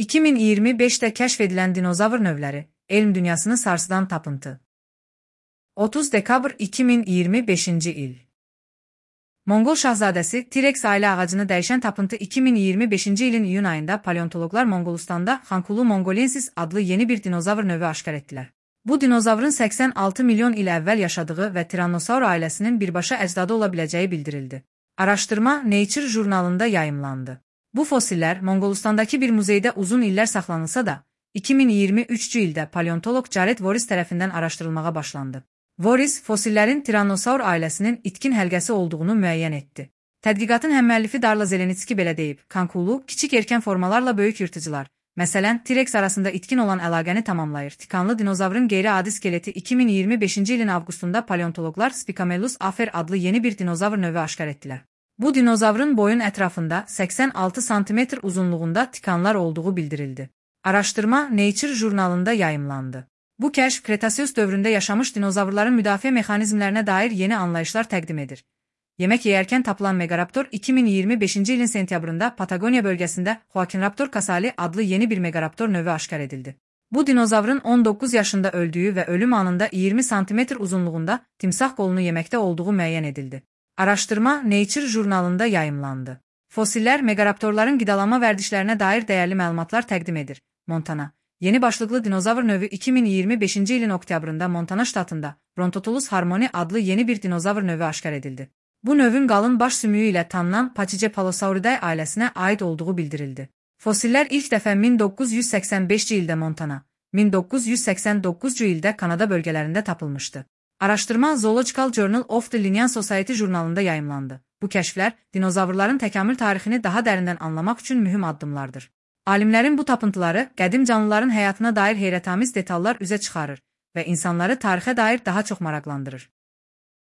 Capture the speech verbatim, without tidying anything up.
iki min iyirmi beşdə kəşf edilən dinozavr növləri, elm dünyasını sarsıdan tapıntı. otuz dekabr iki min iyirmi beşinci il. Monqol şahzadəsi T-Rex ailə ağacını dəyişən tapıntı iki min iyirmi beşinci ilin iyun ayında paleontoloqlar Monqolistanda Xankulu mongolensis adlı yeni bir dinozavr növü aşkar etdilər. Bu dinozavrın səksən altı milyon il əvvəl yaşadığı və Tyrannosaur ailəsinin birbaşa əcdadı ola biləcəyi bildirildi. Araşdırma Nature jurnalında yayımlandı. Bu fosillər Monqolistandakı bir muzeydə uzun illər saxlanılsa da, iki min iyirmi üçüncü ildə paleontoloq Jared Voorhis tərəfindən araşdırılmağa başlandı. Voorhis, fosillerin Tyrannosaur ailəsinin itkin həlqəsi olduğunu müəyyən etdi. Tədqiqatın həmmüəllifi Darla Zelenitski belə deyib, Xankulu, kiçik erkən formalarla böyük yırtıcılar, məsələn, T-Rex arasında itkin olan əlaqəni tamamlayır. Tikanlı dinozavrın qeyri-adi skeleti iki min iyirmi beşinci ilin avqustunda paleontoloqlar Spicamelus afer adlı yeni bir dinozavr növü aşkar etdilər. Bu dinozavrın boyun ətrafında səksən altı santimetr uzunluğunda tikanlar olduğu bildirildi. Araşdırma Nature jurnalında yayımlandı. Bu kəşf Kretaseus dövründə yaşamış dinozavrların müdafiə mexanizmlərinə dair yeni anlayışlar təqdim edir. Yemək yeyərkən tapılan Megaraptor iki min iyirmi beşinci ilin sentyabrında Patagoniya bölgəsində Joaquinraptor casali adlı yeni bir Megaraptor növü aşkar edildi. Bu dinozavrın on doqquz yaşında öldüyü və ölüm anında iyirmi santimetr uzunluğunda timsah qolunu yeməkdə olduğu müəyyən edildi. Araşdırma Nature jurnalında yayımlandı. Fosillər Megaraptorların qidalanma vərdişlərinə dair dəyərli məlumatlar təqdim edir. Montana. Yeni başlıqlı dinozavr növü iki min iyirmi beşinci ilin oktyabrında Montana ştatında Brontotulus harmoni adlı yeni bir dinozavr növü aşkar edildi. Bu növün qalın baş sümüyü ilə tanınan Pachycephalosauridae ailəsinə aid olduğu bildirildi. Fosillər ilk dəfə min doqquz yüz səksən beşinci ildə Montana, min doqquz yüz səksən doqquzuncu ildə Kanada bölgələrində tapılmışdı. Araşdırma Zoological Journal of the Linnean Society jurnalında yayımlandı. Bu kəşflər dinozavrların təkamül tarixini daha dərindən anlamaq üçün mühüm addımlardır. Alimlərin bu tapıntıları qədim canlıların həyatına dair heyrətamiz detallar üzə çıxarır və insanları tarixə dair daha çox maraqlandırır.